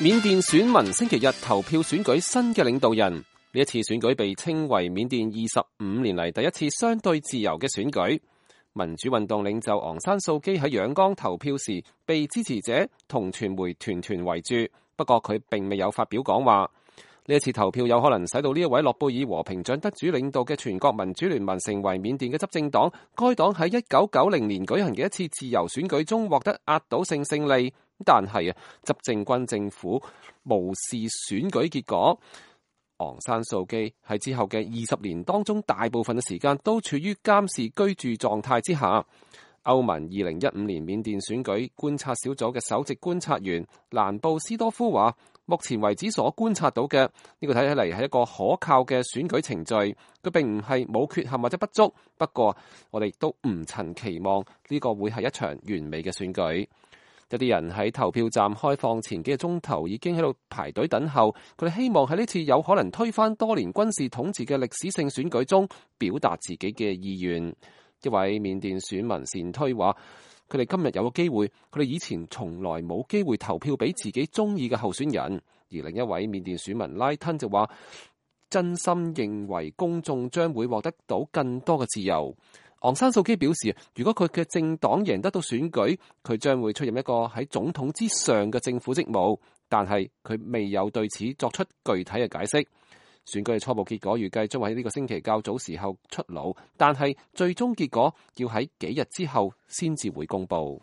緬甸選民星期日投票選舉新嘅領導人，呢一次選舉被稱為緬甸25年嚟第一次相對自由嘅選舉。民主運動領袖昂山素基喺仰光投票時，被支持者同傳媒團團圍住，不過佢並未有發表講話。呢一次投票有可能使到呢一位諾貝爾和平獎得主領導嘅全國民主聯盟成為緬甸嘅執政黨。該黨喺1990年舉行嘅一次自由選舉中獲得壓倒性勝利，但係執政軍政府無視選舉結果。昂山素基喺之後嘅20年當中，大部分嘅時間都處於監視居住狀態之下。歐盟2015年緬甸選舉觀察小組嘅首席觀察員蘭布斯多夫話，目前為止所觀察到嘅呢個睇起嚟係一個可靠嘅選舉程序，佢並唔係冇缺陷或者不足，不過我哋都唔曾期望呢個會係一場完美嘅選舉。有啲人喺投票站開放前幾個鐘頭已經喺度排隊等候，佢哋希望喺呢次有可能推翻多年軍事統治嘅歷史性選舉中表達自己嘅意願。一位緬甸選民善推話，佢哋今日有個機會，佢哋以前從來冇機會投票俾自己中意嘅候選人。而另一位緬甸選民拉吞就話，真心認為公眾將會獲得到更多嘅自由。昂山素基表示，如果佢嘅政黨贏得到選舉，佢將會出任一個喺總統之上嘅政府職務，但係佢未有對此作出具體嘅解釋。選舉嘅初步結果預計將會喺呢個星期較早時候出爐，但係最終結果要喺幾日之後先至會公佈。